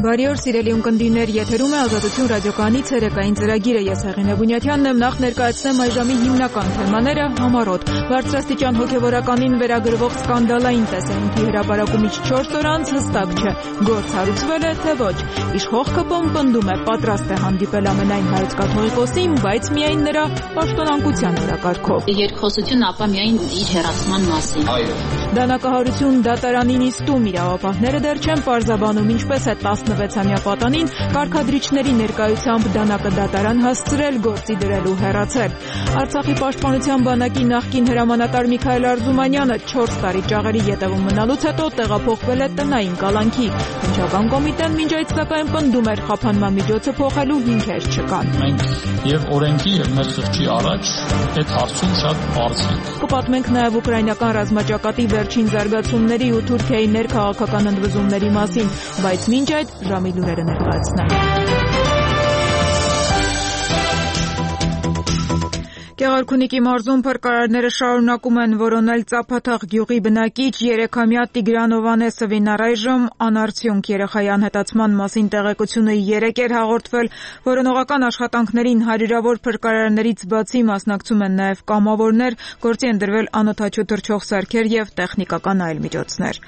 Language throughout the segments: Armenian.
Բարի օր, սիրելի ունկնդիրներ, եթերում է Ազատություն ռադիոկայանի ցերեկային ծրագիրը։ Ես Հեղինե Բունյաթյանն եմ, նախ ներկայացնեմ այժմի հիմնական թեմաները համառոտ։ Բարձրաստիճան հոգևորականին վերագրվող սկանդալային տեսանյութի հրապարակումից 4 օր անց հստակ չէ, գործ հարուցվել է, թե ոչ։ Իշխող ԿՊ-ն պնդում է, պատրաստ է հանդիպել ամենայն հայոց կաթողիկոսին, բայց միայն նրա պաշտոնակության օրակարգով։ Երկխոսություն ապա միայն իր հեռացման մասին։ Դանակահարություն դատարանի նիստում իրավապահները դեռ չեն պարզաբանում ինչպես է 16-ամյա պատանին կարգադրիչների ներկայությամբ դանակը դատարան հասցրել, գործի դրելու հեռացել։ Արցախի պաշտպանության բանակի նախկին հրամանատար Միքայել Արզումանյանը 4 տարի ճաղերի ետևում մնալուց հետո տեղափոխվել է տնային կալանքի։ Վարչական կոմիտեն մինչ այդ սակայն պնդում էր խափանման միջոցը փոխելու հիմքեր չկան։ Մենք եւ օրենքի եւ մեր խղճի առաջ այդ հարցում շատ բարձ ենք։ Կպատմենք նաեւ ուկրաինական ռազմաճակատի վերջին զարգացումների ու Թուրքիայի ներքաղաքական ընդվզումների մասին, բայց մինչ այդ ժամի լուրերը ներկայացնենք։ Գեղարքունիքի մարզում փրկարարները շարունակում են որոնել Ծափաթաղ գյուղի բնակիչ 3-ամյա Տիգրան Օվանեսովին առայժմ անարդյունք երեխայի անհետացման մասին տեղեկությունը 3 էր հաղորդվել։ Որոնողական աշխատանքներին հարյուրավոր փրկարարներից բացի մասնակցում են նաև կամավորներ, գործի են դրվել անօդաչու թռչող սարքեր եւ տեխնիկական այլ միջոցներ։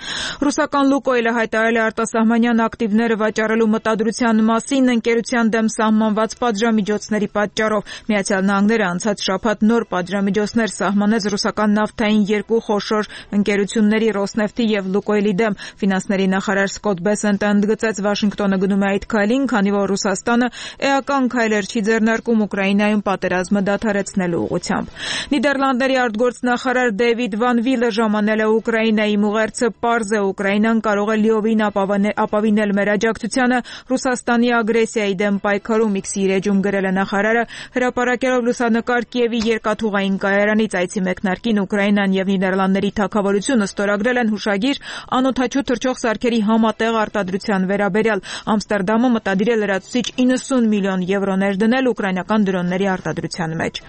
Ռուսական Լուկոյլը հայտարարել է արտասահմանյան ակտիվները վաճառելու մտադրության մասին ընկերության դեմ սահմանված պատժամիջոցների պատճառով։ Միացյալ Նահանգները անցած շաբաթ նոր պատժամիջոցներ սահմանեց ռուսական նավթային երկու խոշոր ընկերությունների Ռոսնեֆտի եւ Լուկոյլի դեմ։ Ֆինանսների նախարար Սկոտ Բեսենտը ընդգծեց Վաշինգտոնը գնում է այդ քայլին, քանի որ Ռուսաստանը էական քայլեր չի ձեռնարկում Ուկրաինայում պատերազմը դադարեցնելու ուղղությամբ։ Նիդերլանդների արտգործնախարար Դեվիդ Վան Վիլը ժամանել է Ուկրաինայի ուղերձը պարզ է Ուկրաինան կարող է լիովին ապավինել մեր աջակցությանը Ռուսաստանի ագրեսիայի դեմ պայքարում X-ի էջում գրել է նախարարը, հրապարակելով լուսանկար Կիևի երկաթուղային կայարանից այցի մեկնարկին Ուկրաինան եւ Նիդերլանդների թագավորությունը ստորագրել են հուշագիր անօդաչու թռչող սարքերի համատեղ արտադրության վերաբերյալ։ Ամստերդամը մտադիր է լրացուցիչ 90 միլիոն եվրոներ դնել ուկրաինական դրոնների արտադրության մեջ։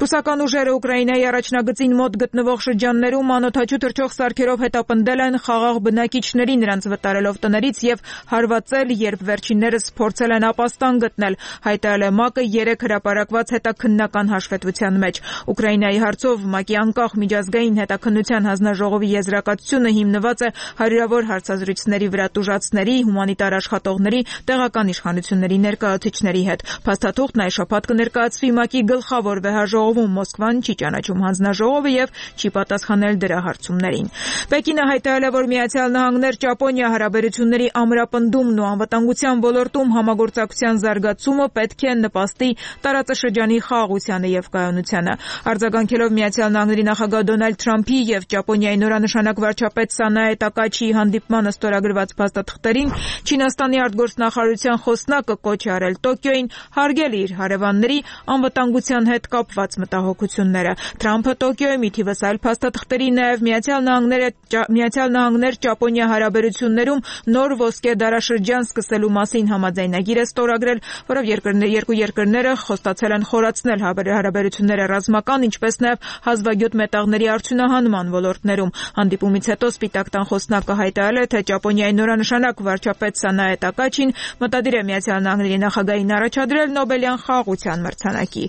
Ռուսական ուժերը Ուկրաինայի առաջնագծին մոտ գտնվող շրջաններում անօդաչու թռչող սարքերով հետապնդել են խաղաղ բնակիչների, նրանց վտարելով տներից եւ հարվածել, երբ վերջիններս փորձել են ապաստան գտնել, հայտարարել է ՄԱԿ-ը 3 հրապարակված հետաքննական հաշվետվության մեջ։ Ուկրաինայի հարցով ՄԱԿ-ի անկախ միջազգային հետաքննության հանձնաժողովի եզրակացությունը հիմնված է հարյուրավոր հարցազրույցների վրա տուժածների, հումանիտար աշխատողների, տեղական իշխանությունների ներկայացուցիչների հետ։ Փաստաթուղթն այս շաբաթ կներկայացվի ՄԱԿ-ի գլխավոր վեհաժողովում, Մոսկվան չի ճանաչում հանձնաժողովը եւ չի պատասխանել դրա հարցումներին։ Պեկինը հայտարարել է, որ Միացյալ Նահանգներ Ճապոնիա հարաբերությունների ամրապնդումն ու անվտանգության ոլորտում համագործակցության զարգացումը պետք է նպաստի տարածաշրջանի խաղաղությանը եւ կայունությանը։ Արձագանքելով Միացյալ Նահանգների նախագահ Դոնալդ Թրամփի եւ Ճապոնիայի նորանշանակ վարչապետ Սանաե Տակաչիի հանդիպմանը ստորագրված փաստաթղթերին, Չինաստանի արտգործնախարարության խոսնակը կոչ է արել Տոկիոյին հարգել իր հարևանների անվտանգության հետ կապված մտահոգությունները։ Թրամփը Տոկիոյում ի թիվս այլ փաստաթղթերի նաեւ Միացյալ Նահանգներ Ճապոնիա հարաբերություններում նոր ոսկե դարաշրջան սկսելու մասին համաձայնագիր է ստորագրել, որով երկու երկրները խոստացել են խորացնել հարաբերությունները ռազմական, ինչպես նաև հազվագյուտ մետաղների արդյունահանման ոլորտներում։ Հանդիպումից հետո Սպիտակ տան խոսնակը հայտարարել է, թե Ճապոնիայի նորանշանակ վարչապետ Սանաե Տակաչին մտադիր է Միացյալ Նահանգների նախագահին առաջադրել Նոբելյան խաղաղության մրցանակի։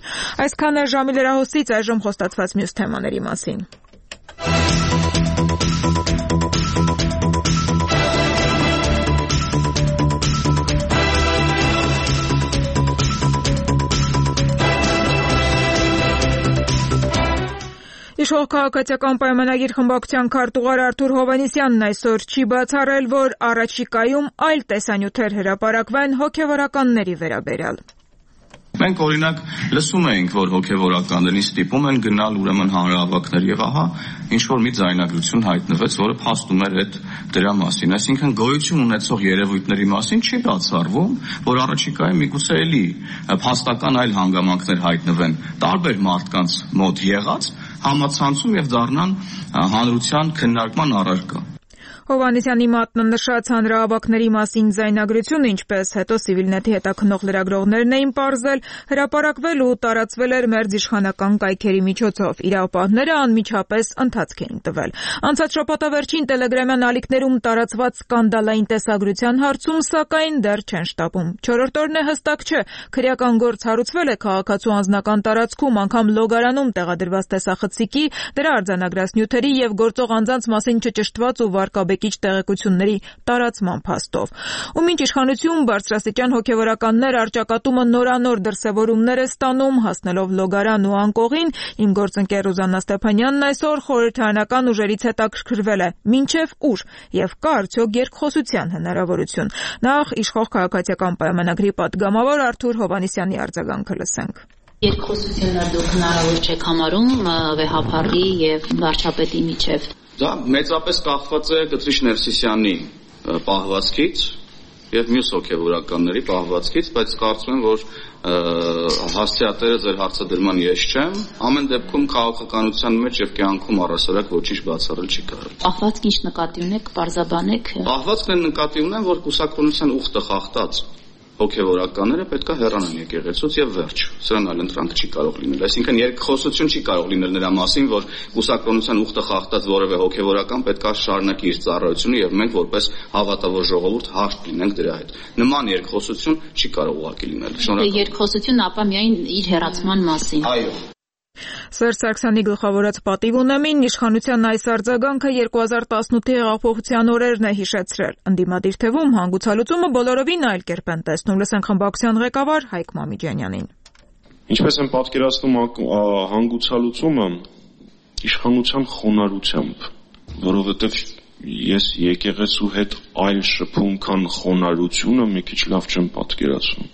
Այսքան է ժամի լրահոսից, այժմ խոստացված մյուս թեմաների մասին։ Իշխող քաղաքացիական պայմանագիր խմբակցության քարտուղար Արթուր Հովհաննիսյանն այսօր չի բացառել, որ առաջիկայում այլ տեսանյութեր հրապարակվեն հոգևորականների վերաբերյալ։ Մենք օրինակ լսում էինք, որ հոգևորականներին ստիպում են գնալ ուրեմն հանրահավաքներ եւ ահա ինչ որ մի ձայնագրություն հայտնվեց, որը փաստում էր այդ դրա մասին։ Այսինքն գոյություն ունեցող երևույթների մասին չի բացառվում, որ առաջիկայում միգուցե էլի փաստական այլ հանգամանքներ հայտնվեն տարբեր մարդկանց մոտ եղած համացանցում եւ դառնան հանրության քննարկման առարկա։ Հովհաննիսյանի մատնանշած հանրահավաքների մասին ձայնագրությունը, ինչպես հետո Civilnet-ի հետաքննող լրագրողներն էին պարզել, հրապարակվել ու տարածվել էր մերձիշխանական կայքերի միջոցով։ Իրավապահները անմիջապես ընթացք էին տվել։ Անցած շաբաթավերջին Telegram-յան ալիքներում տարածված սկանդալային տեսագրության հարցում, սակայն դեռ չեն շտապում։ Չորրորդ օրն է, հստակ չէ, քրեական գործ հարուցվել է քաղաքացու անձնական տարածքում, անգամ լոգարանում տեղադրված տեսախցիկի, դրա արձանագրած նյութերի եւ գործող անձանց մասին չճշտված ու վարկաբեկիչ տեղեկությունների տարածման փաստով։ Ու մինչ իշխանություն բարձրաստիճան հոգեվորականներ առճակատումը նորանոր դրսևորումներ է ստանում, հասնելով լոգարան ու անկողին, իմ գործընկեր Ռուզաննա Ստեփանյանն այսօր խորհրդարանական ուժերից հետաքրքրվել է մինչև ուր եւ կա արդյոք երկխոսության հնարավորություն։ Նախ իշխող քաղաքացիական պայմանագրի պատգամավոր Արթուր Հովհաննիսյանի արձագանքը լսենք։ Երկխոսությունը դուք հնարավոր չեք համարում վեհափառի եւ վարչապետի միջև։ Դա մեծապես կախված է Կտրիշ Ներսիսյանի պահվածքից եւ մյուս հոգեվորականների պահվածքից, բայց կարծում եմ, որ հասցեատերը ձեր հարցադրման ես չեմ։ Ամեն դեպքում քաղաքականության մեջ եւ կյանքում առասարակ ոչինչ բացառել չի կարող։ Պահվածք ինչ նկատի ունեք, պարզաբանեք։ Պահվածքն են նկատի ունեն, որ կուսակցության ուխտը խախտած հոգեվորականները պետք է հեռանան եկեղեցուց եւ վերջ։ Սրան այլ ընտրանք չի կարող լինել։ Այսինքն երկխոսություն չի կարող լինել նրա մասին, որ կուսակցության ուխտը խախտած որևէ հոգեվորական պետք է շարունակի իր ծառայությունը եւ մենք որպես հավատավոր ժողովուրդ հաշտ լինենք դրա հետ։ Նման երկխոսություն չի կարող ուղղակի լինել։ Շնորհակալ։ Երկխոսություն ապա միայն իր հեռացման մասին։ Այո։ Սերժ Սարգսյանի գլխավորած պատիվ ունեմին իշխանության այս արձագանքը 2018-ի հեղափոխության օրերն է հիշեցրել։ Ընդդիմադիր թևում հանգուցալուծումը բոլորովին այլ կերպ են տեսնում։ Լսենք խմբակցության ղեկավար Հայկ Մամիջանյանին։ Ինչպես են պատկերացնում հանգուցալուծումը իշխանության խոնարհությամբ, որովհետև ես եկեղեցու հետ այլ շփում, քան խոնարհությունը մի քիչ լավ չեմ պատկերացնում։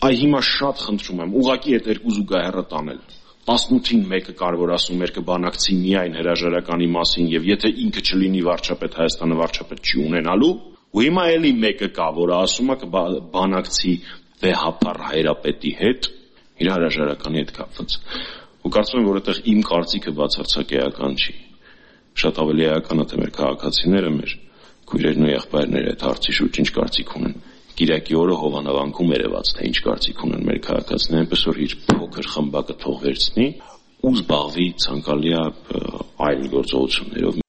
Այ հիմա շատ խնդրում եմ, ուղղակի այդ երկու զուգահեռը տանել։ 18-ին մեկը կարող ասում էր կբանակցի միայն հրաժարականի մասին եւ եթե ինքը չլինի վարչապետ Հայաստանը վարչապետ չի ունենալու ու հիմա էլի մեկը կա որը ասում է կբանակցի վեհապառ հայրապետի հետ իր հրաժարականի հետ կապված ու կարծում եմ որ այդտեղ իմ կարծիքը բացարձակ էական չի շատ ավելի էական է թե մեր քաղաքացիները մեր քույրերն ու եղբայրները այդ հարցի շուրջ ինչ կարծիք ունեն Կիրակի օրը Հովանավանքում երևաց թե ինչ կարծիք ունեն մեր քաղաքացիները, այնպես որ իր փոքր խմբակը թող վերցնի ու զբաղվի ցանկալի այլ գործողություններով։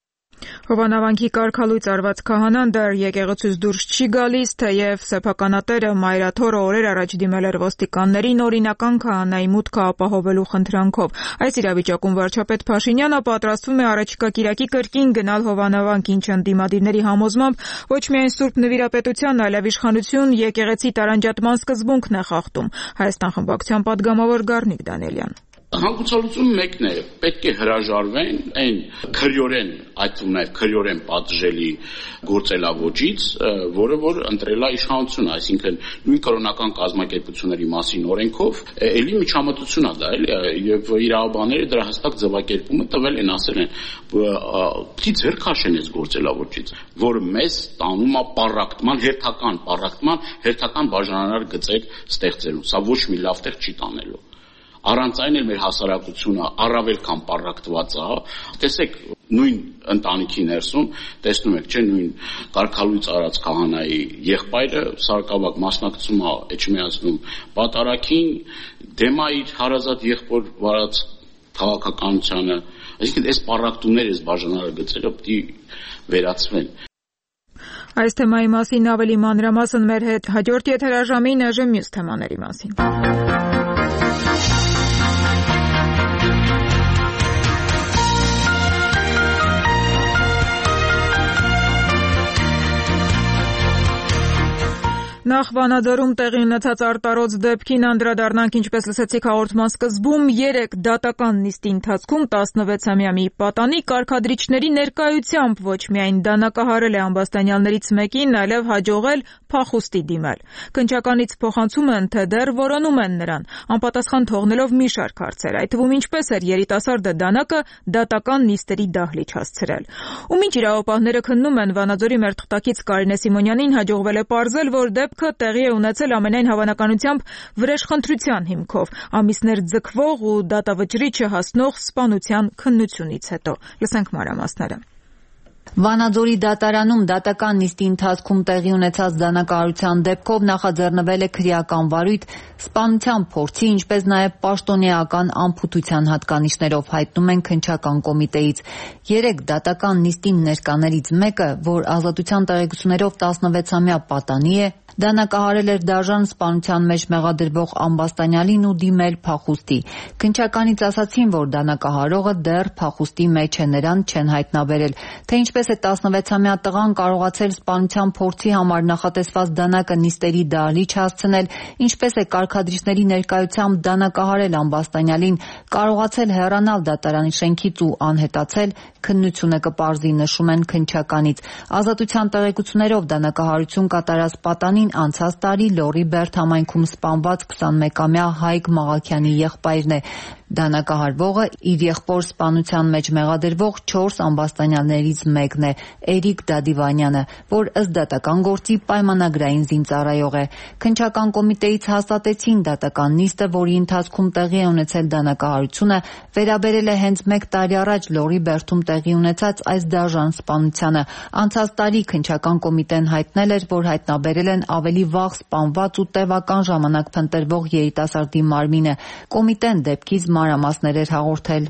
Հովանավանքի կարգալույծ արված քահանան դեռ եկեղեցուց դուրս չի գալիս, թեև սեփականատերը Մայրաթորը օրեր առաջ դիմել էր ոստիկաններին օրինական քահանայի մուտքը ապահովելու խնդրանքով։ Այս իրավիճակում վարչապետ Փաշինյանը պատրաստվում է առաջիկա Կիրակի կրկին գնալ Հովանավանք, ինչը ընդդիմադիրների համոզմամբ ոչ միայն Սուրբ Նվիրապետության, այլև իշխանություն եկեղեցի տարանջատման սկզբունքն է խախտում։ Հայաստան խմբակցության падգամավոր Գառնիկ Դանիելյան։ Հանգուցալուծումը մեկն է, պետք է հրաժարվեն այն քրյորեն, այդ թվում նաև քրյորեն պատժելի գործելավոճից, որը որ ընտրել է իշխանությունը, այսինքն նույն կրոնական կազմակերպությունների մասին օրենքով, էլի միջամտություն է դա, էլի, եւ իրավաբանները դրա հստակ ձևակերպումը տվել են, ասել են, պիտի ձեռք քաշեն այս գործելավոճից, որը մեզ տանում է պառակտման, հերթական բաժանարար գծեր ստեղծելու, սա ոչ մի լավ տեղ չի տանելու։ Առանց այն էլ մեր հասարակությունը առավել քան պառակտված է, տեսեք նույն ընտանիքի ներսում, տեսնում եք, չէ, նույն կարգալույծ արած քահանայի եղբայրը սարկավակ մասնակցում է Էջմիածնում պատարագին, դեմ է իր հարազատ եղբոր վարած քաղաքականությանը, այսինքն այս պառակտումները, այս բաժանարար գծերը պիտի վերացվեն։ Այս թեմայի մասին ավելի մանրամասն մեր հետ հաջորդ եթերաժամին այժմ մյուս թեմաների մասին։ Նախ Վանաձորում տեղի ունեցած արտարոց դեպքին անդրադառնանք, ինչպես լսեցիք հաղորդման սկզբում, 3 դատական նիստի ընթացքում 16-ամյա մի պատանի կարգադրիչների ներկայությամբ ոչ միայն դանակահարել է ամբաստանյալներից մեկին, այլև հաջողել փախուստի դիմել։ Քննչականից փոխանցում են, թե դեռ որոնում են նրան, անպատասխան թողնելով մի շարք հարցեր, այդ թվում ինչպես էր երիտասարդը դանակը դատական նիստերի դահլիճ հասցրել։ Ու մինչ իրավապահները քննում են, Վանաձորի մեր թղթակից Կարինե Սիմոնյանին հաջողվել է պարզել, որ դեպքը տեղի է ունեցել ամենայն հավանականությամբ վրեժխնդրության հիմքով, ամիսներ ձգվող ու դատավճռի չհասնող սպանության քննությունից հետո։ Լսենք մանրամասները։ Վանաձորի դատարանում դատական նիստի ընթացքում տեղի ունեցած դանակահարության դեպքով նախաձեռնվել է քրեական վարույթ սպանության փորձի, ինչպես նաև պաշտոնեական անփութության հատկանիշներով, հայտնում են քննչական կոմիտեից։ 3 դատական նիստին ներկաներից մեկը, որ ազատության տեղեկություններով 16-ամյա պատանի է, դանակահարել էր դաժան սպանության մեջ մեղադրվող Ամբաստանյանին ու դիմել փախուստի։ Քննչականից ասացին, որ դանակահարողը դեռ փախուստի մեջ է, նրան չեն հայտնաբերել, թե ինչպես է 16-ամյա տղան կարողացել սպանության փորձի համար նախատեսված դանակը նիստերի դահլիճ հասցնել, ինչպես է կարգադրիչների ներկայությամբ դանակահարել Ամբաստանյանին, կարողացել հեռանալ դատարանի շենքից ու անհետացել, քննությունը կպարզի, նշում են քննչականից։ Ազատության տեղեկություններով դանակահարություն կատարած պատանին անցած տարի Լոռի Բերդ համայնքում սպանված 21-ամյա Հայկ Մաղաքյանի եղբայրն է։ Դանակահարվողը իր եղբոր սպանության մեջ մեղադրվող 4 ամբաստանյաններից մեկն է, Էրիկ Դադիվանյանը, որ ըստ դատական գործի պայմանագրային զինծառայող է։ Քննչական կոմիտեից հաստատեցին դատական նիստը, որի ընթացքում տեղի է ունեցել դանակահարությունը, վերաբերել է հենց 1 տարի առաջ Լոռի Բերդում տեղի ունեցած այս դաժան սպանությանը։ Անցած տարի քննչական կոմիտեն հայտնել էր, որ հայտնաբերել են ավելի վաղ սպանված ու տևական ժամանակ փնտրվող երիտասարդի մարմինը։ Կոմիտեն դեպքից մանրամասներ էր հաղորդել։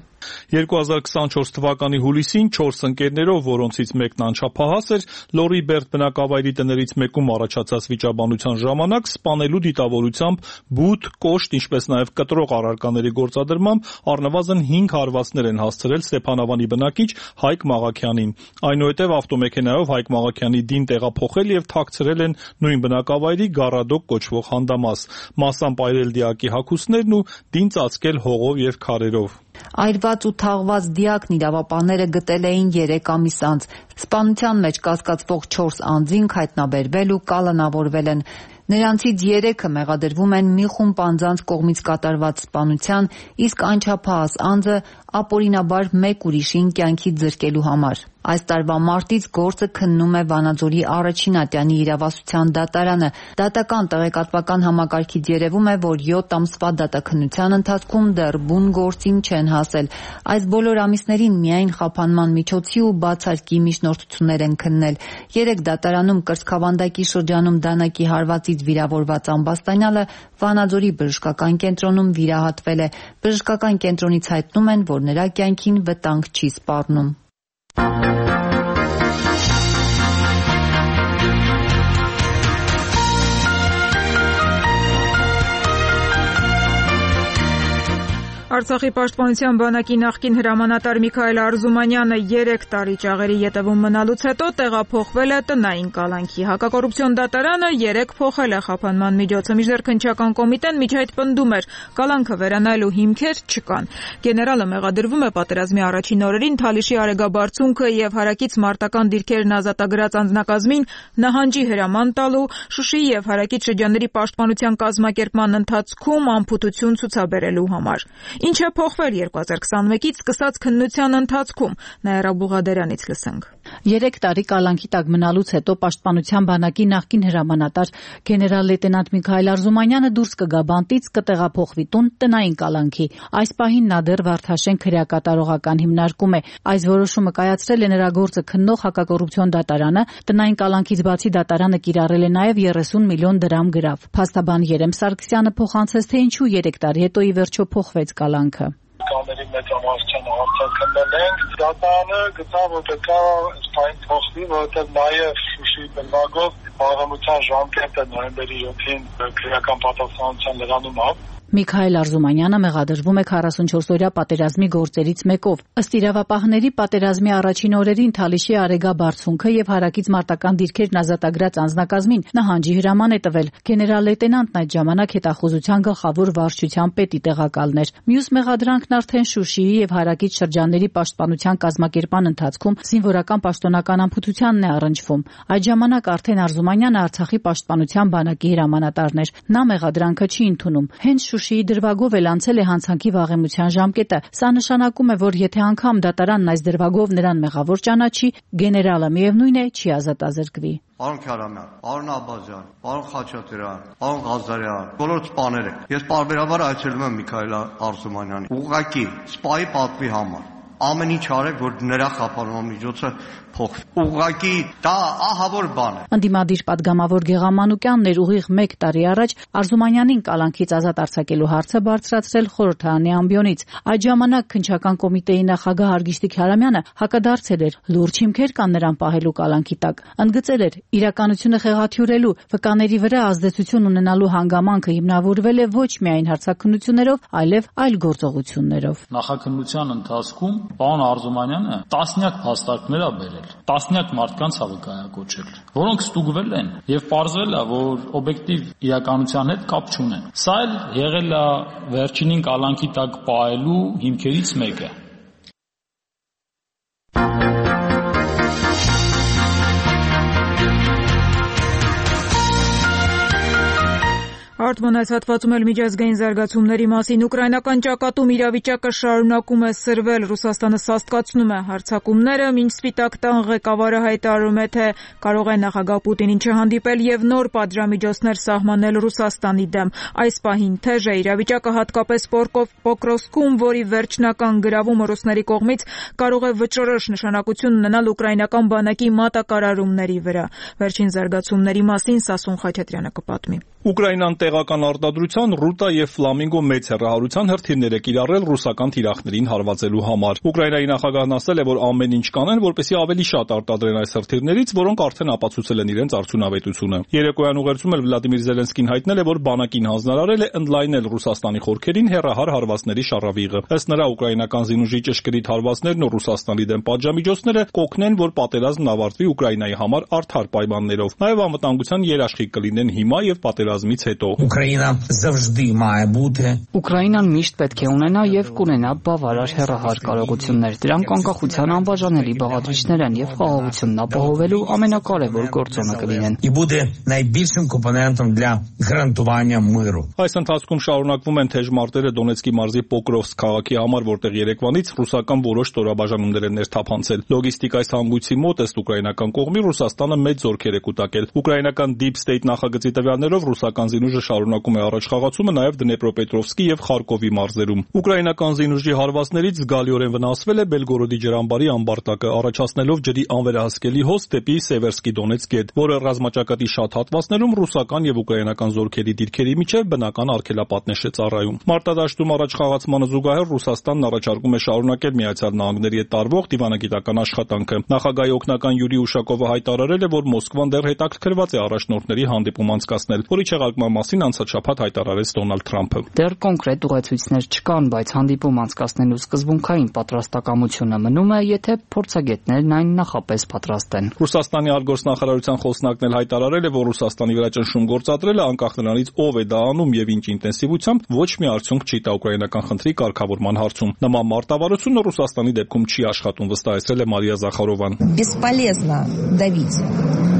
2024 թվականի հուլիսին 4 ընկերներով, որոնցից մեկն անչափահաս էր, Լոռի Բերդ բնակավայրի տներից մեկում առաջացած վիճաբանության ժամանակ սպանելու դիտավորությամբ բութ, կոշտ, ինչպես նաև կտրող առարկաների գործադրմամբ առնվազն 5 հարվածներ են հասցրել Ստեփանավանի բնակիչ Հայկ Մաղաքյանին։ Այնուհետև ավտոմեքենայով Հայկ Մաղաքյանի դին տեղափոխել եւ թաքցրել են նույն բնակավայրի Գառադոկ կոչվող հանդամաս, մասամբ այրել դիակի հագուստներն ու դին ծածկել հողով եւ քարերով։ Այրված ու թաղված դիակն իրավապահները գտել էին 3 ամիս անց։ Սպանության մեջ կասկածվող 4 անձինք հայտնաբերվել ու կալանավորվել են։ Նրանցից 3-ը մեղադրվում են մի խումբ անձանց կողմից կատարված սպանության, իսկ անչափահաս անձը ապօրինաբար մեկ ուրիշին կյանքից զրկելու համար։ Այս տարվա մարտից գործը քննում է Վանաձորի առաջին ատյանի իրավասության դատարանը։ Դատական տեղեկատվական համակարգից երևում է, որ 7 ամսվա դատաքննության ընթացքում դեռ բուն գործին չեն հասել։ Այս բոլոր ամիսներին միայն խափանման միջոցի ու բացարկի միջնորդություններ են քննել։ 3 դատարանում կրծքավանդակի շրջանում դանակի հարվածից վիրավորված Ամբաստանյանը Վանաձորի բժշկական կենտրոնում վիրահատվել է։ Բժշկական կենտրոնից հայտնում են, որ նրա կյանքին վտանգ չի սպառնում։ Արցախի պաշտպանության բանակի նախկին հրամանատար Միքայել Արզումանյանը 3 տարի ճաղերի ետևում մնալուց հետո տեղափոխվել է տնային կալանքի։ Հակակոռուպցիոն դատարանը 3 փոխել է խափանման միջոցը, մինչդեռ քննչական կոմիտեն միջայդ պնդում էր, կալանքը վերանայելու հիմքեր չկան։ Գեներալը մեղադրվում է պատերազմի առաջին օրերին Թալիշի արեգաբարձունքը եւ հարակից մարտական դիրքերն ազատագրած անձնակազմին նահանջի հրաման տալու, Շուշիի եւ հարակից շրջանների պաշտպանության կազմակերպման ընթացքում անփութություն ցուցաբերելու համար։ Ինչ է փոխվել 2021-ից սկսած քննության ընթացքում, Նաիրա Բուղադերյանից լսենք։ 3 տարի կալանքի տակ մնալուց հետո պաշտպանության բանակի նախկին հրամանատար գեներալ լեյտենանտ Միքայել Արզումանյանը դուրս կգա բանտից, կտեղափոխվի տուն տնային կալանքի։ Այս պահին նա դեռ Վարդաշեն քրեակատարողական հիմնարկում է։ Այս որոշումը կայացրել է նրա գործը քննող հակակոռուպցիոն դատարանը, տնային կալանքից բացի դատարանը կիրառել է նաև 30 միլիոն դրամ գրավ։ Փաստաբան Երեմ Սարգսյանը փոխանցեց, թե ինչու 3 տարի հետո ի վերջո փոխվեց կալանքը։ Կաների մեծամասնությունը հարցակնվել են։ Դատարանը գտավ, որ պետք է սպայն փոխվի, որովհետև նաև Շուշիի բնագով պարզամության ժամկետը նոյեմբերի 7-ին քրեական պատասխանատվության լրանումով Միքայել Արզումանյանը մեղադրվում է 44-օրյա պատերազմի գործերից մեկով։ Ըստ իրավապահների, պատերազմի առաջին օրերին Թալիշի արեգաբարձունքը եւ հարակից մարտական դիրքերն ազատագրած անձնակազմին նահանջի հրաման է տվել։ Գեներալ լեյտենանտն այդ ժամանակ հետախուզության գլխավոր վարչության պետի տեղակալն էր։ Մյուս մեղադրանքն արդեն Շուշիի եւ հարակից շրջանների պաշտպանության կազմակերպման ընթացքում զինվորական պաշտոնական անփութությանն է առնչվում։ Այդ ժամանակ արդեն Արզումանյանը Արցախի պաշտպանության բանակի հրամանատարն էր։ Նա մեղադրանքը չի ընդունում։ Հենց Շուշիի դրվագով էլ անցել է հանցանքի վաղեմության ժամկետը։ Սա նշանակում է, որ եթե անգամ դատարանն այս դրվագով նրան մեղավոր ճանաչի, գեներալը միևնույն է չի ազատազրկվի։ Պարոն Քարամյան, պարոն Աբազյան, պարոն Խաչատրյան, պարոն Ղազարյան, բոլոր սպաները։ Ես պարբերաբար այցելում եմ Միքայել Արզումանյանին։ Ուղղակի սպայի պատվի համար։ ամեն ինչ արեք, որ նրա խափանման միջոցը փոխվի։ Ուղղակի դա ահավոր բան է։ Ընդդիմադիր падգամավոր Գեղամանուկյանն էր ուղիղ 1 տարի առաջ Արզումանյանին կալանքից ազատ արձակելու հարցը բարձրացրել խորհրդարանի ամբիոնից։ Այդ ժամանակ քննչական կոմիտեի նախագահ Արգիշտիկ Հարամյանը հակադարձել էր, լուրջ հիմքեր կան նրան պահելու կալանքի տակ։ Ընդգծել էր, իրականությունը խեղաթյուրելու, վկաների վրա ազդեցություն ունենալու հանգամանքը հիմնավորվել է ոչ միայն հարցաքննություններով, այլև այլ գործողություններով։ Նախաքննության ընթացքում պարոն Արզումանյանը տասնյակ փաստարկներ է բերել, տասնյակ մարդկանց է վկայակոչել, որոնք ստուգվել են եւ պարզվել է, որ օբյեկտիվ իրականության հետ կապ չունեն։ Սա էլ եղել է վերջինին կալանքի տակ պահելու հիմքերից մեկը։ Արտմոնայց հատվածում էլ միջազգային զարգացումների մասին ուկրաինական ճակատում իրավիճակը շարունակում է սրվել, Ռուսաստանը սաստկացնում է հարձակումները, մինչ Սպիտակ տան ղեկավարը հայտարարում է, թե կարող է նախագահ Պուտինին չհանդիպել եւ նոր պատժամիջոցներ սահմանել Ռուսաստանի դեմ։ Այս պահին թեժ է իրավիճակը հատկապես Պոկրովսկում, որի վերջնական գրավումը ռուսների կողմից կարող է վճռորոշ նշանակություն ունենալ ուկրաինական բանակի մատակարարումների վրա։ Վերջին զարգացումների մասին Սասուն Խաչատրյանը կպատմի։ Ուկրաինան տեղական արտադրության Ռուտա եւ Ֆլամինգո մեծ հեռահարության հրթիռներ է կիրառել ռուսական թիրախներին հարվածելու համար։ Ուկրաինայի նախագահն ասել է, որ ամեն ինչ կանեն, որպեսզի ավելի շատ արտադրեն այս հրթիռներից, որոնք արդեն ապացուցել են իրենց արդյունավետությունը։ Երեկոյան ուղերձում էլ Վլադիմիր Զելենսկին հայտնել է, որ բանակին հանձնարարել է ընդլայնել Ռուսաստանի խորքերին հեռահար հարվածների շարավիղը։ Ըստ նրա, ուկրաինական զինուժի ճշգրիտ հարվածներն ու Ռուսաստանի դեմ պատժամիջոցները կօգնեն, որ պատերազմն ավարտվի Ուկրաինայի համար արդար պայմաններով։ Նաև անվտանգության երաշխիք կլինեն հիմա եւ պատերազմից հետո։ Ուկրաինան միշտ պետք է ունենա եւ կունենա բավարար հեռահար կարողություններ։ Դրանք անկախության անբաժանելի բաղադրիչներ են եւ խաղաղությունն ապահովելու ամենակարևոր գործոնը կլինեն։ Այս ընթացքում շարունակվում են թեժ մարտերը Դոնեցկի մարզի Պոկրովսկ քաղաքի համար, որտեղ երեկվանից ռուսական որոշ ստորաբաժանումներ են ներթափանցել։ Լոգիստիկայի հանգույցի մոտ ըստ ուկրաինական կողմի Ռուսաստանը մեծ զորքեր է կուտակել։ Ուկրաինական Deep State նախագծի տվյալներով ռուսական զինուժը շարունակում է առաջխաղացումը նաև Դնեպրոպետրովսկի եւ Խարկովի մարզերում։ Ուկրաինական զինուժի հարվածներից զգալիորեն վնասվել է Բելգորոդի ջրամբարի ամբարտակը, առաջացնելով ջրի անվերահսկելի հոսք դեպի Սևերսկի Դոնեցկ գետ, որը ռազմաճակատի շատ հատվածներում ռուսական եւ ուկրաինական զորքերի դիրքերի միջև բնական արգելապատնեշ է ծառայում։ Մարտադաշտում առաջխաղացմանը զուգահեռ Ռուսաստանն առաջարկում է շարունակել Միացյալ Նահանգների հետ տարվող դիվանագիտական աշխատանքը։ Նախագահի օգնական Յուրի Ուշակովը հայտարարել է, որ Մոսկվան դեռ հետաքրքրված է առաջնորդների հանդիպում անցկացնել, որի չեղարկման մասին անցաչափած հայտարարեց Դոնալդ Թրամփը։ Դեռ կոնկրետ ուղեցույցներ չկան, բայց հանդիպում անցկացնելու սկզբունքային պատրաստակամությունը մնում է, եթե փորձագետներն այն նախապես պատրաստ են։ Ռուսաստանի արտգործնախարարության խոսնակն էլ հայտարարել է, որ Ռուսաստանի վրա ճնշում գործադրելը անկախ նրանից ով է դա անում եւ ինչ ինտենսիվությամբ ոչ մի արդյունք չի տա ուկրաինական խնդրի կարգավորման հարցում։ Նման մարտավարությունը Ռուսաստանի դեպքում չի աշխատում, վստահեցրել է Մարիա Զախարովան։ Бесполезно давить.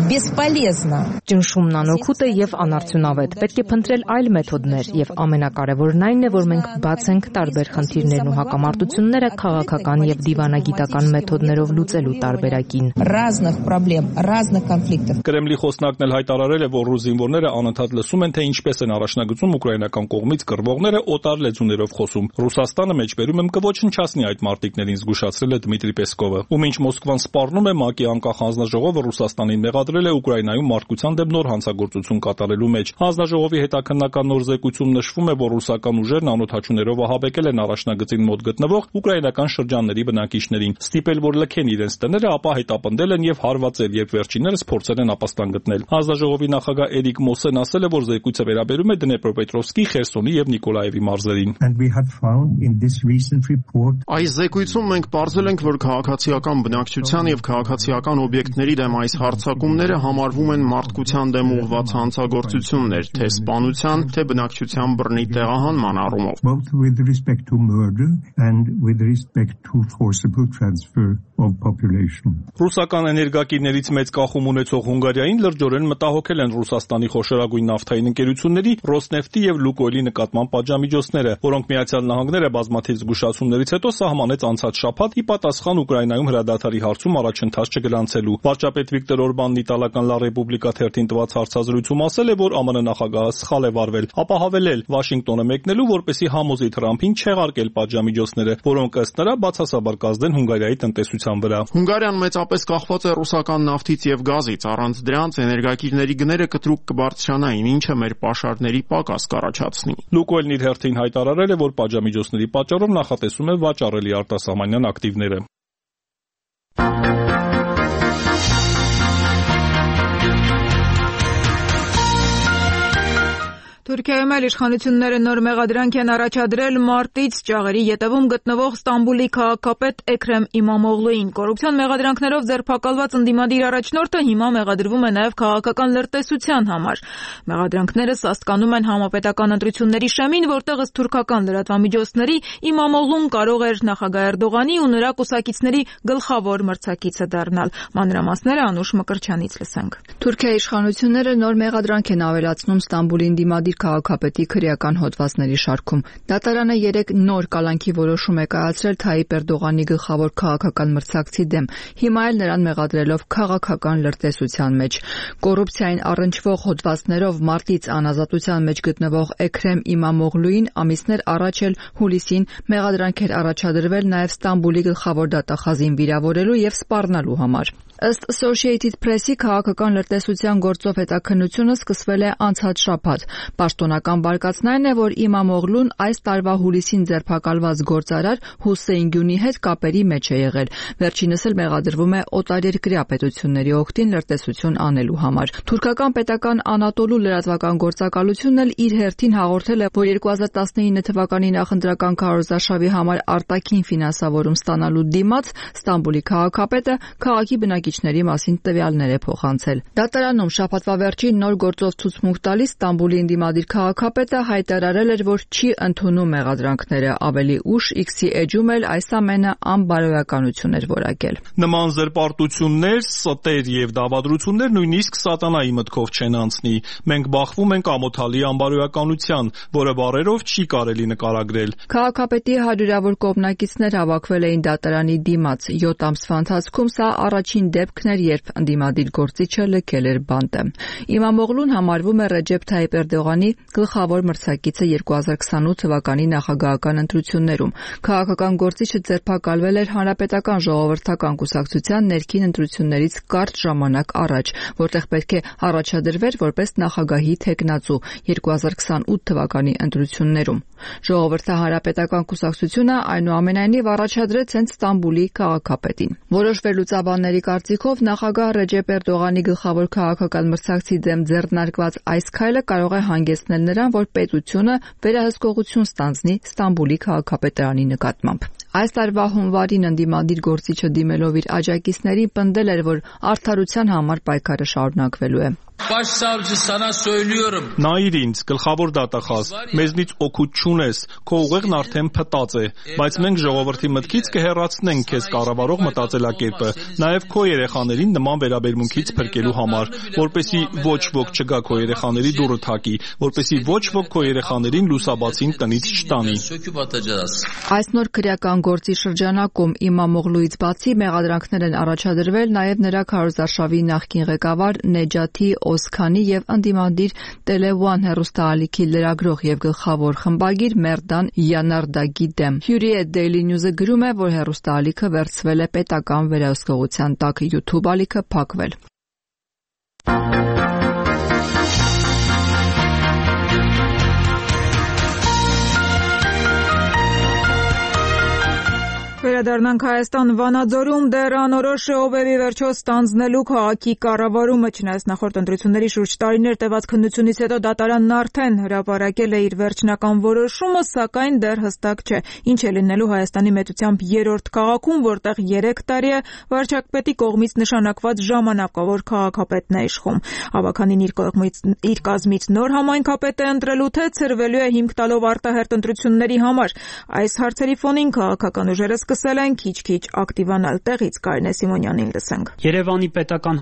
Бесполезно. Ճնշումն անօգուտ է եւ անարդյունավետ։ Պետք է փնտրել այլ մեթոդներ եւ ամենակարևորն այն է, որ մենք բաց ենք տարբեր խնդիրներն ու հակամարտությունները քաղաքական եւ դիվանագիտական մեթոդներով լուծելու տարբերակին։ Разных проблем, разных конфликтов. Կրեմլի խոսնակն էլ հայտարարել է, որ ռուս զինվորները անընդհատ լսում են, թե ինչպես են առաջնագծում ուկրաինական կողմից կռվողները օտար լեզուներով խոսում։ Ռուսաստանը մեջբերում եմ կոչնչացնի այդ մարտիկներին, զգուշացրել է Դմիտրի Պեսկովը։ Ու մինչ Մոսկվան սպառնում է, ՄԱԿ-ի անկախ հանձնաժողովը Ռուսաստանին մեղադրել է Ուկրաինայում մարդկության դեմ նոր հանցագործություն կատարելու մեջ։ Հանձնաժողովի հետաքննական նոր զեկույցում նշվում է, որ ռուսական ուժերն անօթաչուներով ահաբեկել են առաջնագծին մոտ գտնվող ուկրաինական շրջանների բնակիչներին, ստիպել, որ լքեն իրենց տները, ապա հետապնդել են եւ հարվածել, երբ վերջիններս փորձել են ապաստան գտնել։ Հանձնաժողովի նախագահ Էրիկ Մոսեն ասել է, որ զեկույցը վերաբերում է Դնեպրոպետրովսկի, Խերսոնի եւ Նիկոլաևի մարզերին։ Այս զեկույցում մենք պարզել ենք, որ քաղաքացիական բնակչության եւ քաղաքացիական օբյեկտների դեմ այս հարձակումները համարվում են մարդկության դեմ ուղղված հանցագործություններ, թե սպանության, թե բնակչության բռնի տեղահանման առումով։ Ռուսական էներգակիրներից մեծ կախում ունեցող Հունգարիային լրջորեն մտահոգել են Ռուսաստանի խոշորագույն նավթային ընկերությունների Ռոսնեֆտի եւ Լուկոյլի նկատմամբ պատժամիջոցները, որոնք Միացյալ Նահանգները բազմաթիվ զգուշացումներից հետո սահմանեց անցած շաբաթ ի պատասխան Ուկրաինայում հրադադարի հարցում առաջընթաց չգրանցելու։ Վարչապետ Վիկտոր Օրբանն ի սոցիալական Լա Ռեպուբլիկա թերթին տված հարցազրույցում ասել է, որ ԱՄՆ նախագահը սխալ է վարվել, ապահավել Վաշինգտոնը մեկնելու, որպեսզի համոզի Թրամփին չեղարկել պատժամիջոցները, որոնք ըստ նրա բացասաբար կազդեն Հունգարիայի տնտեսության վրա։ Հունգարիան մեծապես կախված է ռուսական նավթից եւ գազից, առանց դրանց էներգակիրների գները կտրուկ կբարձրանային, ինչը մեր պաշարների պակաս կառաջացնի։ Լուկոյլն իր հերթին հայտարարել է, որ պատժամիջոցների պատճառով նախատեսում է վաճառելի արտասահմանյան ակտիվները։ Թուրքիայում էլ իշխանությունները նոր մեղադրանք են առաջադրել մարտից ճաղերի ետևում գտնվող Ստամբուլի քաղաքապետ Էքրեմ Իմամօղլուին։ Կոռուպցիոն մեղադրանքներով ձերբակալված ընդդիմադիր առաջնորդը հիմա մեղադրվում է նաև քաղաքական լրտեսության համար։ Մեղադրանքները սաստկանում են համապետական ընտրությունների շեմին, որտեղ ըստ թուրքական լրատվամիջոցների Իմամօղլուն կարող էր նախագահ Էրդողանի ու նրա կուսակիցների գլխավոր մրցակիցը դառնալ։ Մանրամասները Անուշ Մկրչյանից լսենք։ Թուրքիայի իշխանությունները նոր մեղադրանք են ավելացնում Ստամբուլի ընդդիմադիր քաղաքապետի քրեական հոդվածների շարքում։ Դատարանը 3 նոր կալանքի որոշում է կայացրել Թայիպ Էրդողանի գլխավոր քաղաքական մրցակցի դեմ, հիմա էլ նրան մեղադրելով քաղաքական լրտեսության մեջ։ Կոռուպցիային առնչվող հոդվածներով մարտից անազատության մեջ գտնվող Էքրեմ Իմամօղլուին ամիսներ առաջ էլ հուլիսին մեղադրանք էր առաջադրվել նաև Ստամբուլի գլխավոր դատախազին վիրավորելու եւ սպառնալու համար։ Ըստ Associated Press-ի քաղաքական լրտեսության գործով հետաքննությունը սկսվել է անցած շաբաթ։ Պաշտոնական բարկացն այն է, որ Իմամօղլուն այս տարվա հուլիսին ձերբակալված գործարար Հուսեյն Գյունի հետ կապերի մեջ է եղել։ Վերջինս էլ մեղադրվում է օտարերկրյա պետությունների օգտին լրտեսություն անելու համար։ Թուրքական պետական Անատոլու լրատվական գործակալությունն էլ իր հերթին հաղորդել է, որ 2019 թվականի նախընտրական քարոզարշավի համար արտաքին ֆինանսավորում ստանալու դիմաց Ստամբուլի քաղաքապետը քաղաքի բնակիչների մասին տվյալներ է փոխանցել։ Դատարանում շաբաթվա վերջին նոր գործով ցուցմունք տալիս Ստամբուլի ընդդիմադիր քաղաքապետը հայտարարել էր, որ չի ընդունում մեղադրանքները, ավելի ուշ X-ի էջում էլ այս ամենը անբարոյականություն էր որակել։ Նման զրպարտություններ, ստեր եւ դավադրություններ նույնիսկ սատանայի մտքով չեն անցնի։ Մենք բախվում ենք ամոթալի անբարոյականության, որը բառերով չի կարելի նկարագրել։ Քաղաքապետի հարյուրավոր կողմնակիցներ հավաքվել էին դատարանի դիմաց։ 7 ամսվա ընթացքում սա առաջին դեպքն էր, երբ ընդդիմադիր գործիչը լքել էր բանտը։ Իմամօղլուն համարվում է Ռեջեփ Թայիպ Էրդողանի գլխավոր մրցակիցը 2028 թվականի նախագահական ընտրություններում։ Քաղաքական գործիչը ձերբակալվել էր Հանրապետական ժողովրդական կուսակցության ներքին ընտրություններից կարճ ժամանակ առաջ, որտեղ պետք է առաջադրվեր որպես նախագահի թեկնածու 2028 թվականի ընտրություններում։ Ժողովրդահանրապետական կուսակցությունը այնուամենայնիվ առաջադրեց հենց Ստամբուլի քաղաքապետին։ Որոշ վերլուծաբանների կարծիքով նախագահ Ռեջեփ Էրդողանի գլխավոր քաղաքական մրցակցի դեմ ձեռնարկված այս քայլը կարող է հանգեցնել նրան, որ պետությունը վերահսկողություն ստանձնի Ստամբուլի քաղաքապետարանի նկատմամբ։ Այս տարվա հունվարին ընդդիմադիր գործիչը դիմելով իր աջակիցներին պնդել էր, որ արդարության համար պայքարը շարունակվելու է։ Նայիր ինձ, գլխավոր դատախազ, մեզնից օգուտ չունես, քո ուղեղն արդեն փտած է, բայց մենք ժողովրդի մտքից կհեռացնենք քեզ կառավարող մտածելակերպը, նաև քո երեխաներին նման վերաբերմունքից փրկելու համար, որպեսզի ոչ ոք չգա քո երեխաների դուռը թակի, որպեսզի ոչ ոք քո երեխաներին լուսաբացին տնից չտանի։ Այս նոր քրեական գործի շրջանակում Իմամօղլուից բացի մեղադրանքներ են առաջադրվել նաև նրա քարոզարշավի նախկին ղեկավար Նեջաթի Օզքանի եւ ընդդիմադիր Tele One հեռուստաալիքի լրագրող եւ գլխավոր խմբագիր Մերդան Յանարդագի դեմ։ Hürriyet Daily News-ը գրում է, որ հեռուստաալիքը վերցվել է պետական վերահսկողության տակ, YouTube ալիքը փակվել։ Վերադառնանք Հայաստան Վանաձորում դեռ անորոշ է ով է վերջո ստանձնելու քաղաքի կառավարումը, չնայած նախորդ ընտրությունների շուրջ տարիներ տևած քննությունից հետո դատարանն արդեն հրապարակել է իր վերջնական որոշումը, սակայն դեռ հստակ չէ ինչ է լինելու Հայաստանի մեծությամբ երրորդ քաղաքում, որտեղ 3 տարի է վարչապետի կողմից նշանակված ժամանակավոր քաղաքապետն է իշխում։ Ավագանին իր կազմից նոր համայնքապետ է ընտրելու, թե ցրվելու է հիմք տալով արտահերթ ընտրությունների համար։ Այս հարցերի ֆոնին քաղաքական ուժերը սկսել են քիչ-քիչ ակտիվանալ։ Տեղից Կարինե Սիմոնյանին լսենք։ Երևանի պետական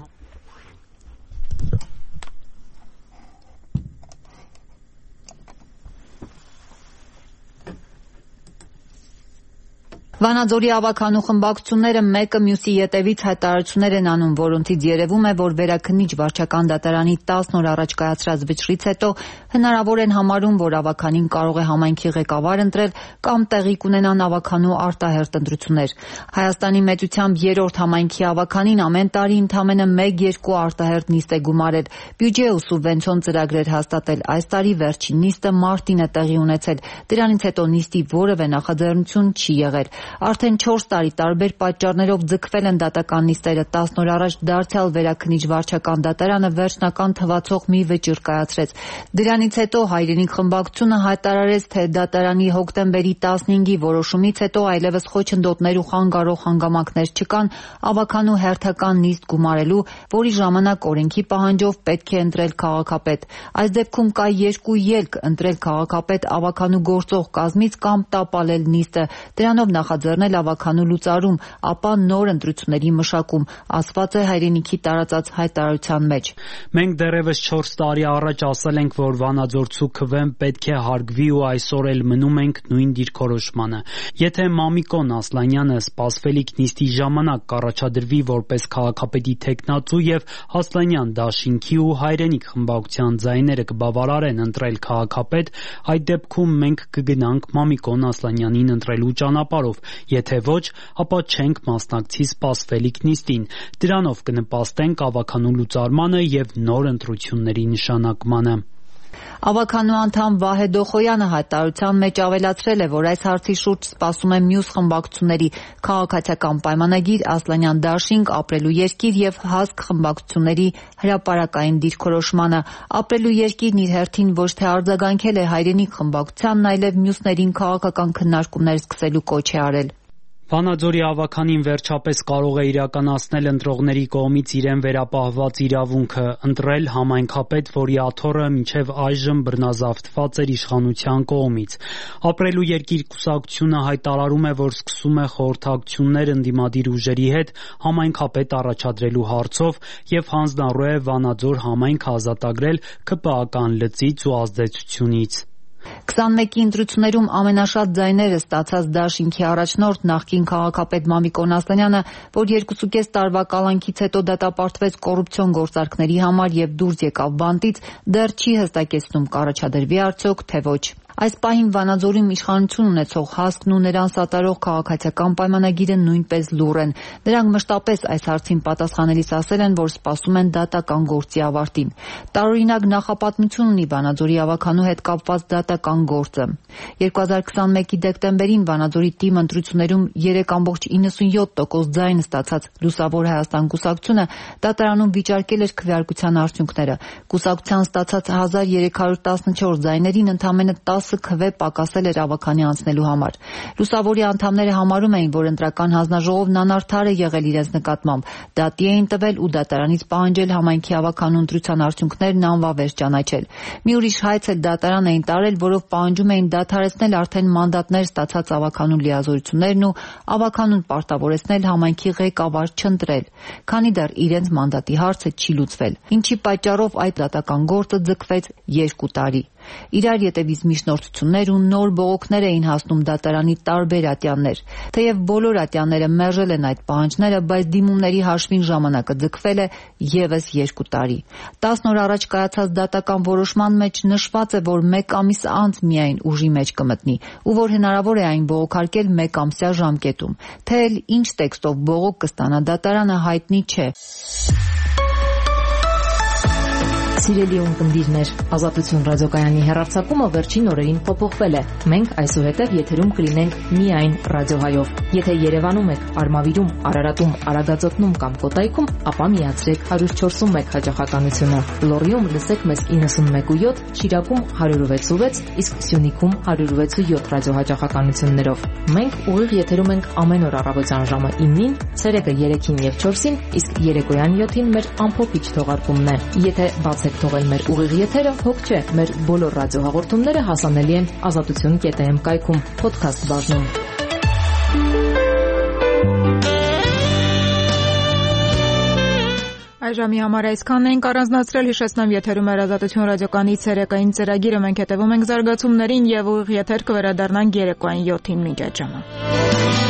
Վանաձորի ավականու խմբակցությունները մեկը մյուսի ետևից հայտարարություններ են անում, որոնցից երևում է, որ Վերաքննիչ վարչական դատարանի 10 օր առաջ կայացրած վճռից հետո հնարավոր են համարում, որ ավականին կարող է համայնքի ղեկավար ընտրել կամ տեղի կունենան ավականու արտահերթ ընտրություններ։ Հայաստանի մեծությամբ 3-րդ համայնքի ավականին ամեն տարի ընդամենը 1-2 արտահերթ նիստ է գումարել, բյուջե ու սուբվենցիոն ծրագրեր հաստատել։ Այս տարի վերջին նիստը մարտին է տեղի ունեցել, դրանից հետո նիստի որևէ նախաձեռնություն չի եղել։ Արդեն 4 տարի տարբեր պատճառներով ձգվել են դատական նիստերը։ 10 օր առաջ դարձյալ Վերաքննիչ վարչական դատարանը վերջնական թվացող մի վճիռ կայացրեց։ Դրանից հետո Հայրենիք խմբակցությունը հայտարարեց, թե դատարանի հոկտեմբերի 15-ի որոշումից հետո այլևս խոչընդոտներ ու խանգարող հանգամանքներ չկան ավականու հերթական նիստ գումարելու, որի ժամանակ օրենքի պահանջով պետք է ընտրել քաղաքապետ։ Այս դեպքում կա երկու ելք՝ ընտրել քաղաքապետ ավականու գործող կազմից կամ տապալել նիստը, դրանով նախաձեռնել ավականու լուծարում, ապա նոր ընտրությունների մշակում, ասված է Հայրենիքի տարածած հայտարարության մեջ։ Մենք դեռևս 4 տարի առաջ ասել ենք, որ Վանաձորցու քվեն պետք է հարգվի ու այսօր էլ մնում ենք նույն դիրքորոշմանը։ Եթե Մամիկոն Ասլանյանը սպասվելիք նիստի ժամանակ կառաջադրվի որպես քաղաքապետի թեկնածու եւ Ասլանյան դաշինքի ու Հայրենիք խմբակցության ձայները կբավարարեն ընտրել քաղաքապետ, այդ դեպքում մենք կգնանք Մամիկոն Ասլանյանին ընտրելու ճանապարհով, եթե ոչ, ապա չենք մասնակցի սպասվելիք նիստին։ Դրանով կնպաստենք ավականու լուծարմանը եւ նոր ընտրությունների նշանակմանը։ Ավականու անդամ Վահե Դոխոյանը հայտարարության մեջ ավելացրել է, որ այս հարցի շուրջ սպասում է մյուս խմբակցությունների քաղաքացիական պայմանագիր, Ասլանյան դաշինք, ապրելու երկիր եւ հասկ խմբակցությունների հրապարակային դիրքորոշմանը։ Ապրելու երկիրն իր հերթին ոչ թե արձագանքել է Հայրենիք խմբակցությանն, այլև մյուսներին քաղաքական քննարկումներ սկսելու կոչ է արել։ Վանաձորի ավականին վերջապես կարող է իրականացնել ընտրողների կողմից իրեն վերապահված իրավունքը ընտրել համայնքապետ, որի աթոռը մինչև այժմ բռնազավթված էր իշխանության կողմից։ Ապրելու երկիր կուսակցությունը հայտարարում է, որ սկսում է խորհրդակցություններ ընդդիմադիր ուժերի հետ համայնքապետ առաջադրելու հարցով եւ հանձնառու է Վանաձոր համայնքը ազատագրել ԿՊԱ-ական լծից ու ազդեցությունից։ 21-ի ընտրություններում ամենաշատ ձայները ստացած դաշինքի առաջնորդ նախկին քաղաքապետ Մամիկոն Ասլանյանը, որ 2.5 տարվա կալանքից հետո դատապարտվեց կոռուպցիոն գործարքների համար եւ դուրս եկավ բանտից, դեռ չի հստակեցնում կառաջադրվի արդյոք թե ոչ։ Այս պահին Վանաձորում իշխանություն ունեցող հասկն ու նրան սատարող քաղաքացիական պայմանագիրը նույնպես լուռ են։ Նրանք մշտապես այս հարցին պատասխանելիս ասել են, որ սպասում են դատական գործի ավարտին։ Տարօրինակ նախապատմություն ունի Վանաձորի ավականու հետ կապված դատական գործը։ 2021-ի դեկտեմբերին Վանաձորի թիմ ընտրություններում 3.97% ձայն ստացած Լուսավոր Հայաստան կուսակցությունը դատարանում վիճարկել էր քվեարկության արդյունքները։ Կուսակցության ստացած 1314 ձայներին ընդամենը 10 քվե պակասել էր ավականի անցնելու համար։ Լուսավորի անդամները համարում էին, որ ընտրական հանձնաժողովն անարդար է եղել իրենց նկատմամբ, դատի էին տվել ու դատարանից պահանջել համայնքի ավականու ընտրության արդյունքներն անվավեր ճանաչել։ Մի ուրիշ հայց էլ դատարան էին տարել, որով պահանջում էին դադարեցնել արդեն մանդատներ ստացած ավականու լիազորություններն ու ավականուն պարտավորեցնել համայնքի ղեկավար չընտրել, քանի դեռ իրենց մանդատի հարցը չի լուծվել, ինչի պատճառով այդ դատական գործը ձգվեց 2 տարի։ Իրար ետևից միջնորդություններ ու նոր բողոքներ էին հասնում դատարանի տարբեր ատյաններ։ Թեև բոլոր ատյանները մերժել են այդ պահանջները, բայց դիմումների հաշվին ժամանակը ձգվել է եւս 2 տարի։ 10 օր առաջ կայացած դատական որոշման մեջ նշված է, որ 1 ամիս անց միայն ուժի մեջ կմտնի ու որ հնարավոր է այն բողոքարկել 1 ամսյա ժամկետում։ Թե էլ ինչ տեքստով բողոք կստանա դատարանը հայտնի չէ։ Սիրելի ունկնդիրներ, Ազատություն ռադիոկայանի հեռարձակումը վերջին օրերին փոփոխվել է։ Մենք այսուհետև եթերում կլինենք միայն ռադիոհայով։ Եթե Երևանում եք, Արմավիրում, Արարատում, Արագածոտնում կամ Կոտայքում, ապա միացրեք 104.1 հաճախականությունը։ Լոռիում լսեք մեզ 91.7, Շիրակում 106.6, իսկ Սյունիքում 106.7 ռադիոհաճախականություններով։ Մենք ուղիղ եթերում ենք ամեն օր առավոտյան ժամը 9-ին, ցերեկը 3-ին եւ 4-ին, իսկ երեկոյան 7-ին մեր ամփոփիչ թողարկումն է։ Եթե բացեք թողել մեր ուղիղ եթերը, հոգ չէ, մեր բոլոր ռադիոհաղորդումները հասանելի են azatutun.am կայքում, podcast բաժնում։ Այժմի համար այսքանն ենք առանձնացրել, հիշեցնեմ եթերում է Ազատություն ռադիոկայանի ցերեկային ծրագիրը, մենք հետևում ենք զարգացումներին եւ ուղիղ եթեր կվերադառնանք երեկոյան 7-ին մինչ այդ ժամը։